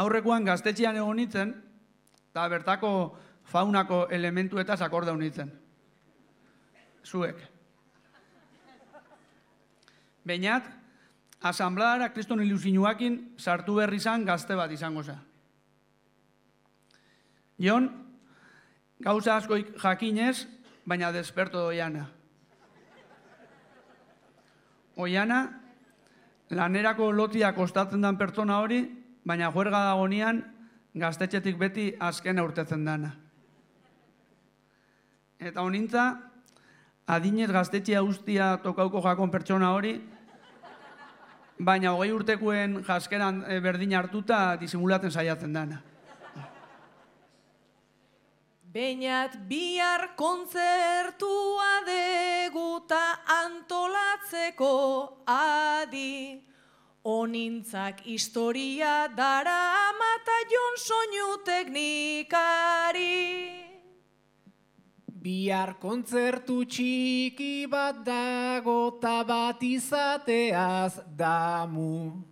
aurrekoan gaztetxean egon nintzen, eta bertako faunako elementuetaz akordau nintzen. Zuek. Beñat, asambladara kriston ilusinuakin sartu berri izan gazte bat izango za. Jon, gauza askoik jakinez, baina desperto doiana. Oiana, lanerako lotia kostatzen dan pertsona hori, baina juerga dagonean gaztetxetik beti azkena urtetzen dana. Eta honintza, adinez gaztetxea ustia tokauko jakon pertsona hori, baina 20 urtekoen jaskeran berdin hartuta disimulatzen saiatzen dana. Beñat bihar kontzertua deguta antolatzeko adi, honintzak historia dara mata Jon soinu teknikari. Bihar kontzertu txiki bat dago ta bat izateaz damu.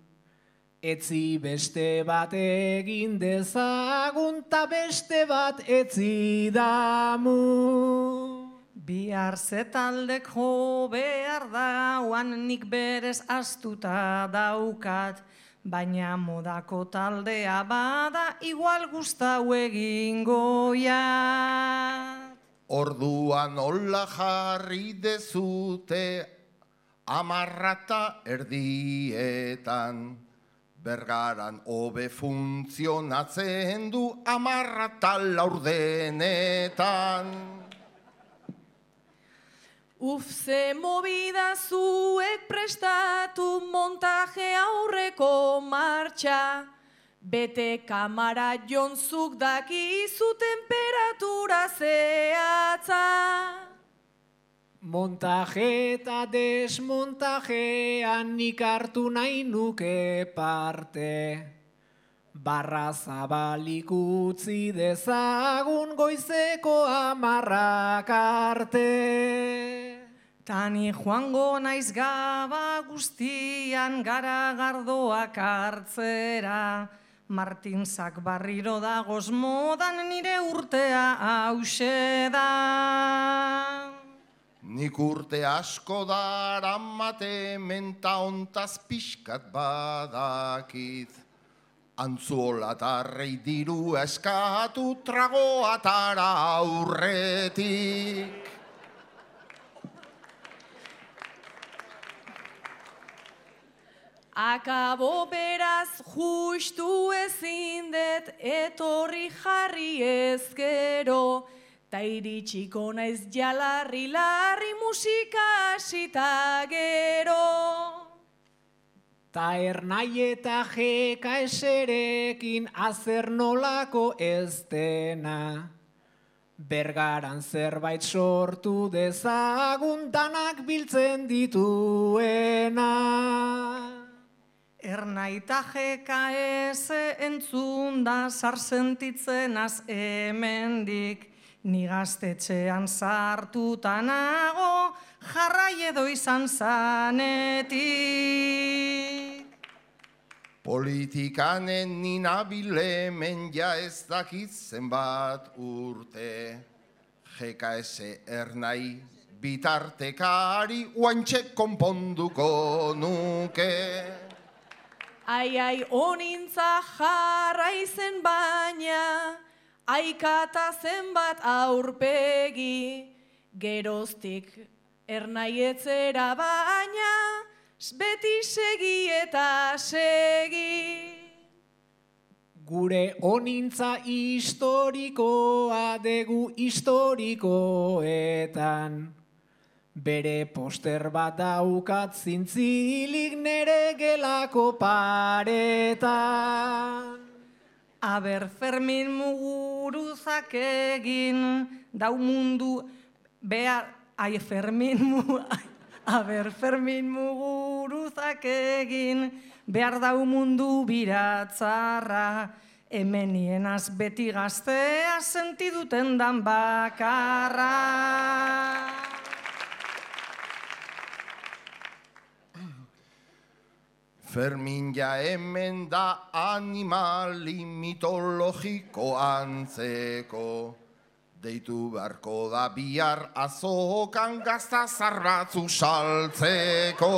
Etzi beste bat egin dezagun ta beste bat etzi damu. Bihar zetaldek jo behar dauan nik berez astuta daukat, baina modako taldea bada igual gustau egingo jat. Orduan hola jarri dezute 10:30, Bergaran hobe funtzionatzen du 10:40 Ze movida zuek prestatu montaje aurreko martxa, bete kamara jonzuk dakizu temperatura zehatza. Montaje eta desmontajean nik hartu nahi nuke parte. Barra zabalik utzi dezagun goizeko 10 arte. Tani joango naiz gaba guztian garagardoak hartzera, Martinzak barriro dagoz modan nire urtea hause da. Nik urte asko daramate menta ontaz pixkat badakit. Antzuolatarrei diru eskatu tragoatara aurretik. Akabo beraz justu ezin det etorri jarri ezkero, ta iritsiko naiz jalarri musika hasita gero. Ta Ernai eta GKS-rekin azer nolako ez dena. Bergaran zerbait sortu dezagun danak biltzen dituena. Ernai eta GKS entzun da zar sentitzen az hemendik, ni gaztetxean sartuta nago jarrai edo izan zanetik. Politikanen ninabilemen ja ez dakit zenbat urte. GKS Ernai bitartekari oantxe konponduko nuke. Ai, honintza jarraizen baina, aikata zenbat aurpegi, geroztik Ernai etzera baina, beti segi eta segi. Gure honintza historikoa degu historikoetan. Bere poster bat daukat zintzilik nere gelako paretan. Aber Fermin Muguruzak egin dau mundu behar... Aber Fermin Muguruzak egin behar dau mundu biratzarra, hemenienaz beti gaztea sentiduten dan bakarra. Fermin ja hemen da animali mitologiko antzeko. Deitu beharko da bihar azokan gazta zarratzu saltzeko.